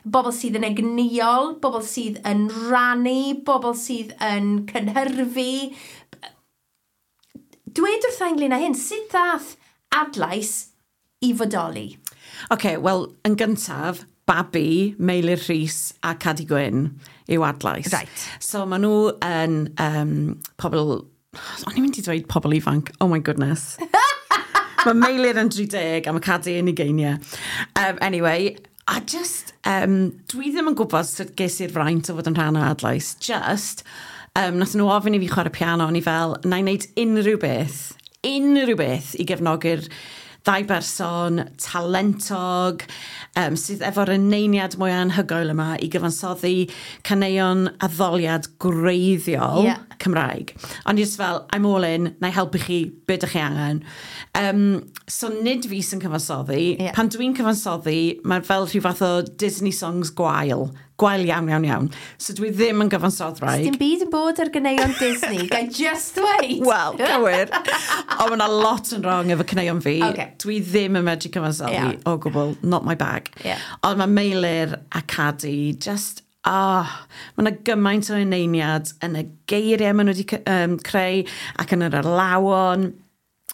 bobl sydd yn egnïol, bobl sydd yn rannu, bobl sydd yn cynhyrfu. Dweud wrtha ynglyn â hyn, sut ddath Adlais i fodoli? Oce, okay, wel, yn gyntaf, Babi, Meilir Rhys a Cadi Gwyn yw Adlais. Right. So maen nhw yn um, pobl... O'n i'n mynd i dweud pobl ifanc. Oh my goodness. Mae Meilir yn dri deg a mae Cadi yn ugeiniau. Um, anyway, a just, um, dwi ddim yn gwybod sut ges i'r fraint o fod yn rhan o Adlais. Just, um, nath nhw ofyn i fi chwarae piano, o'n i fel, na i wneud unrhyw beth, unrhyw beth i gefnogi'r ddau berson talentog um, sydd efo'r eneiniad mwy anhygoel yma i gyfansoddi caneuon addoliad gwreiddiol Ie. Cymraeg. Ond just fel, "I'm all in, na i helpu chi, be ydych chi angen?" Um, so nid fi sy'n cyfansoddi. Ie. Pan dwi'n cyfansoddi, mae fel rhyw fath o Disney songs gwael. Gwael iawn, iawn, iawn. So dwi ddim yn gyfansoddwraig. Dim byd yn bod ar ganeuon Disney. Gai just dweud. Wel, cywir. Ond mae yna lot yn wrong efo caneuon fi. Ocê. Dwi ddim yn medru cyfansoddi Iawn. o gwbl, not my bag. Ie. Ond mae Meilir a Cadi just, ah, mae yna gymaint o eneiniad yn y geiriau maen nhw wedi um, creu ac yn yr alawon.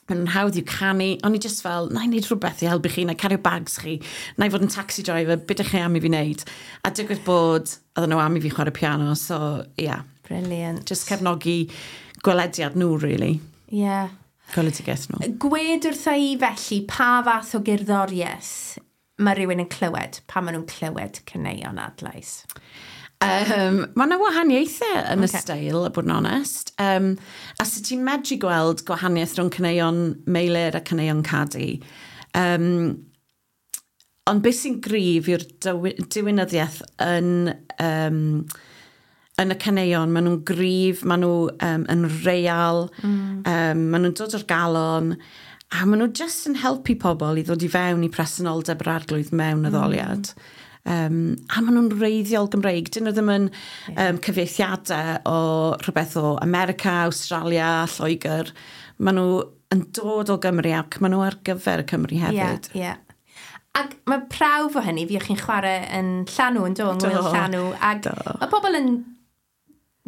Maen nhw'n hawdd i'w canu. O'n i just fel, na i wneud rhywbeth i helpu chi, na i cario bags chi, na i fod yn taxi driver, beth ydych chi am i fi wneud? A digwydd bod, oedden nhw am i fi chwarae piano, so ie, yeah, Brilliant. just cefnogi gwelediad nhw, really. Yeah. Gweledigaeth nhw. Gwed wrtha i felly pa fath o gerddoriaeth mae rhywun yn clywed pan maen nhw'n clywed caneuon Adlais? Um, mae yna wahaniaethau yn Ocê. y steil, a bod yn onest. Um, a sut ti'n medru gweld gwahaniaeth rhwng caneuon Meilir a caneuon Cadi. Um, ond beth sy'n gryf yw'r dywi- diwinyddiaeth yn, um, yn y caneuon. Maen nhw'n gryf, maen nhw um, yn real, mm. um, maen nhw'n dod o'r galon, a maen nhw just yn helpu pobl i ddod i fewn i presenoldeb yr Arglwydd mewn addoliad. Um, a maen nhw'n wreiddiol Gymreig. Dyn nhw ddim yn um, cyfieithiadau o rhywbeth o America, Australia, Lloegr. Maen nhw yn dod o Gymru ac maen nhw ar gyfer y Cymru hefyd. Ie, ie. Ac mae prawf o hynny, fi o'ch chi'n chwarae yn Llanw yn do, yng Ngwyl Do, Llanw. Ac do. mae pobl yn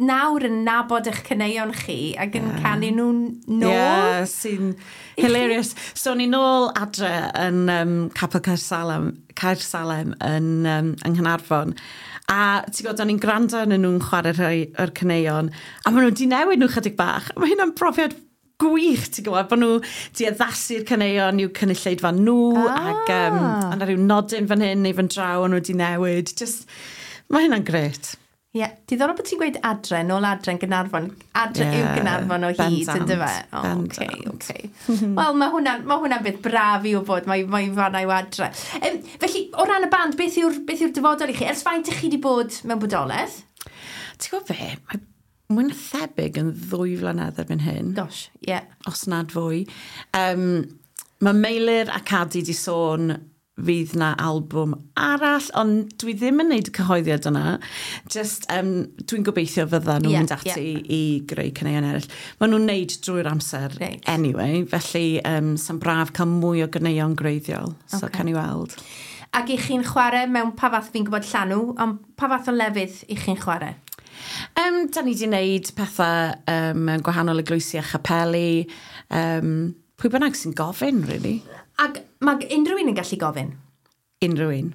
nawr yn nabod eich caneuon chi ac yn yeah. canu nhw'n nôl. Yeah, sy'n hilarious. So ni nôl adre yn um, Capel Caersalem, Caersalem yn, um, yng Nghaernarfon. A ti'n gwybod, o'n i'n gwrando arnyn nhw'n chwarae rhai o'r caneuon, a maen nhw wedi newid nhw chydig bach. Mae hynna'n brofiad gwych, ti'n gwybod, bod nhw wedi addasu'r caneuon i'w cynulleidfa nhw, Ah. ac um, a 'na rhyw nodyn fan hyn neu fan draw, o'n nhw wedi newid. Just, mae hynna'n gret. Ie, yeah. Diddorol bod ti'n gweud adre, nôl adre yn Gaernarfon. Adre yeah, yw Gaernarfon o hyd, bendant, yn dyfe? O, oce, bendant. oce. Wel, mae hwnna'n ma hwnna beth braf i wybod, mae, mae fanna yw adre. Um, felly, o ran y band, beth yw'r beth yw'r dyfodol i chi? Ers faint ych chi wedi bod mewn bodolaeth? Ti'n gwybod be? Mae mwy na thebyg yn ddwy flynedd erbyn hyn. Gosh, ie. Yeah. Os nad fwy. Um, mae Meilir a Cadi di sôn fydd na albwm arall, ond dwi ddim yn neud y cyhoeddiad yna. Just, um, dwi'n gobeithio fydda nhw'n Ie, mynd ati ie. i greu caneuon eraill. Maen nhw'n neud drwy'r amser Reit. anyway, felly um, sa'n braf cael mwy o ganeuon gwreiddiol. So Ocê. okay. Can i weld. Ac i chi'n chwarae mewn pa fath, fi'n gwybod Llanw, ond pa fath o lefydd i chi'n chwarae? Um, da ni wedi wneud pethau um, mewn gwahanol eglwysi a chapeli. Um, pwy bynnag sy'n gofyn, really. Ac mae unrhyw un yn gallu gofyn? Unrhyw un.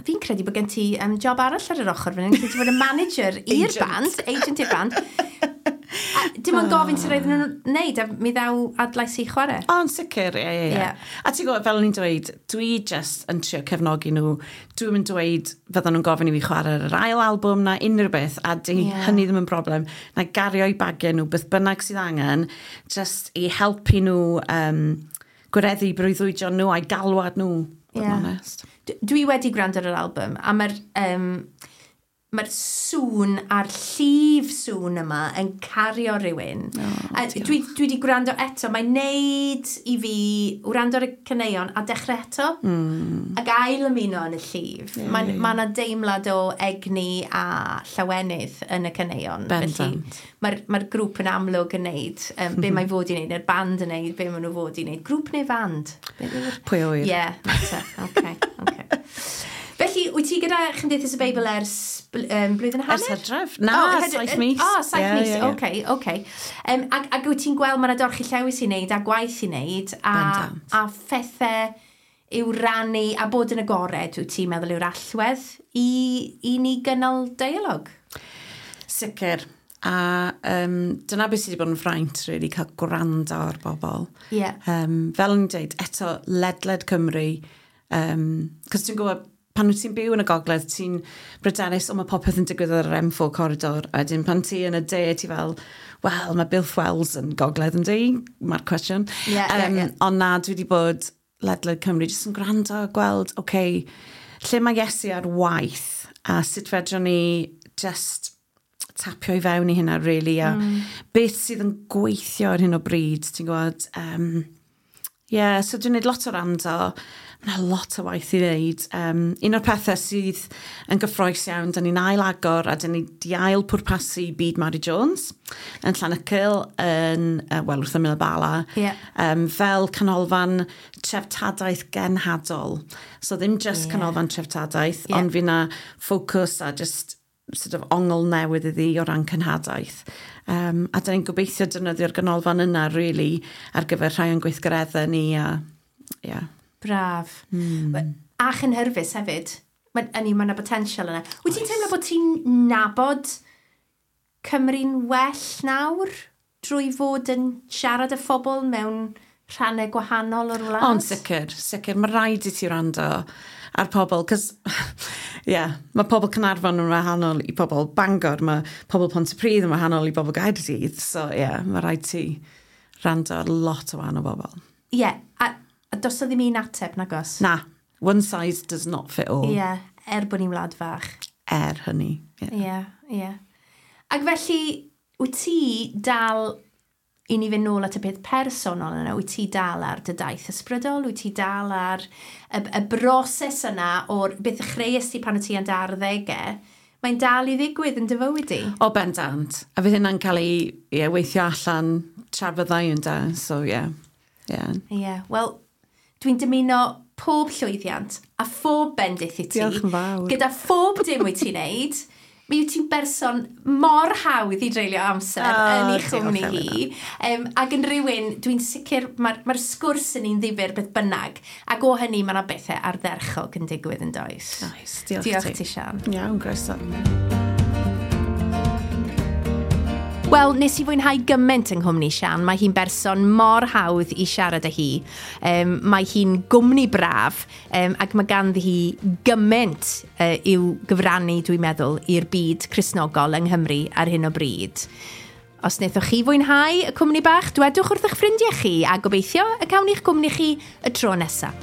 Fi'n credu bod gen ti um, job arall ar yr ochr fan hyn, credu ti fod yn manager i'r Agent. band, agent i'r band. A dim ond gofyn sy'n rhaid nhw'n wneud, a mi ddaw Adlais i chwarae. O, yn sicr, ie, ie, ie. Ie. A ti'n gwybod, fel o'n i'n dweud, dwi just yn trio cefnogi nhw. Dwi'n yn dweud fyddan nhw'n gofyn i fi chwarae ar yr ail albwm na unrhyw beth, a di Ie. yeah. hynny ddim yn broblem. Na gario i bagiau nhw, beth bynnag sydd angen, just i helpu nhw um, gwireddu breuddwydion nhw a'i galwad nhw, bod yn Ie. onest. D- Dwi wedi gwrando ar yr album, a mae'r um, Mae'r sŵn a'r llif sŵn yma yn cario rhywun. Oh, a dwi, dwi wedi gwrando eto, mae'n neud i fi wrando ar y caneuon a dechrau eto. Mm. Ac ail ymuno yn y llif. Yeah, Mae'n yeah. ma 'na deimlad o egni a llawenydd yn y caneuon. Bendant. Mae'r mae grŵp yn amlwg yn neud um, be mae fod i wneud, neu'r band yn neud, be maen nhw fod i wneud. Grŵp neu fand? Be yw'r- Pwy a ŵyr? Ie, mater. Oce, oce. Felly, wyt ti gyda Chymdeithas y Beibl ers bl- um, blwyddyn a hanner? Ers hydref? Na, O, hydre- saith mis. O, saith Ie, mis, ie, ie. oce, oce. Um, ac, ac wyt ti'n gweld mae yna dorchi llewis i wneud a gwaith i wneud a, Bendant. a phethau i'w rannu a bod yn agored, wyt ti'n meddwl yw'r allwedd i, i ni gynnal dialog? Sicr. A um, dyna beth sydd wedi bod yn fraint, really, cael gwrando ar bobl. Ie. Um, fel o'n i'n dweud, eto, ledled Cymru, um, cos ti'n gwybod, pan wyt ti'n byw yn y gogledd, ti'n bryderus, o mae popeth yn digwydd ar yr M four corridor. A wedyn pan ti yn y de, ti fel, wel, mae Builth Wells yn gogledd yn di? Mae'r cwestiwn. Ie, ie, ie. Ond na, dwi wedi bod ledled Cymru, jyst yn gwrando a gweld, oce, okay, lle mae Iesu ar waith, a sut fedrwn ni just tapio i fewn i hynna, really, a mm. beth sydd yn gweithio ar hyn o bryd, ti'n gwybod? Um, yeah, so dwi'n gwneud lot o rando, mae yna lot o waith i wneud. Um, un o'r pethau sydd yn gyffrous iawn, da ni'n ail agor a da ni di ail pwrpasu Byd Mary Jones yn Llanycyl, yn, uh, wel, wrth ymyl y Bala, Ie. um, fel canolfan treftadaeth genhadol. So ddim just Ie. yeah. canolfan treftadaeth, Ie. yeah. ond fi na ffocws a just sort of ongl newydd iddi o ran cenhadaeth. Um, a da ni'n gobeithio defnyddio'r ganolfan yna, really, ar gyfer rhai o'n gweithgareddau ni. A, yeah. Braf. Mm. A chynhyrfus hefyd. Mae yna ma potensial yna. Wyt ti'n teimlo bod ti'n nabod Cymru'n well nawr drwy fod yn siarad â phobl mewn rhannau gwahanol o'r wlad? Ond sicr, sicr, mae rhaid i ti wrando ar pobl, cos, yeah, mae pobl Caernarfon yn wahanol i pobl Bangor, mae pobl Pontypridd yn wahanol i bobl Gaerdydd, so yeah, mae rhaid ti wrando ar lot o wahanol bobl. Ie, yeah, a, a does 'na ddim un ateb, nagos? Na, one size does not fit all. Ie, yeah, er bod ni'n wlad fach. Er hynny. Yeah. Ie, yeah, ie. Yeah. Ac felly, wyt ti dal, i ni fynd nôl at y peth personol yna, wyt ti dal ar dy daith ysbrydol, wyt ti dal ar y, y broses yna o'r beth ddechreuais ti pan o ti yn dy arddegau, mae'n dal i ddigwydd yn dy fywyd di? O, bendant. A fydd hynna'n cael ei yeah, weithio allan tra fyddai yn da, so yeah. Yeah. Ie, yeah, wel, dwi'n dymuno pob llwyddiant a phob bendith i ti. Diolch yn fawr. Gyda phob dim wyt ti'n neud. Mi wyt ti'n berson mor hawdd i dreulio amser O, yn ei diolch, chwmni Elena. hi. Um, ac yn rhywun, dwi'n sicr, mae'r mae sgwrs yn un ddifyr beth bynnag. Ac o hynny, mae yna bethau ardderchog yn digwydd yn does. Nice, diolch, Diolch ti. ti, Sian. Iawn, groeso. Wel, nes i fwynhau gymaint yng nghwmni Sian. Mae hi'n berson mor hawdd i siarad â hi. Um, mae hi'n gwmni braf um, ac mae ganddi hi gymaint uh, i'w gyfrannu, dwi'n meddwl, i'r byd Cristnogol yng Nghymru ar hyn o bryd. Os wnaethoch chi fwynhau y cwmni bach, dwedwch wrth eich ffrindiau chi a gobeithio y cawn ni'ch cwmni chi y tro nesaf.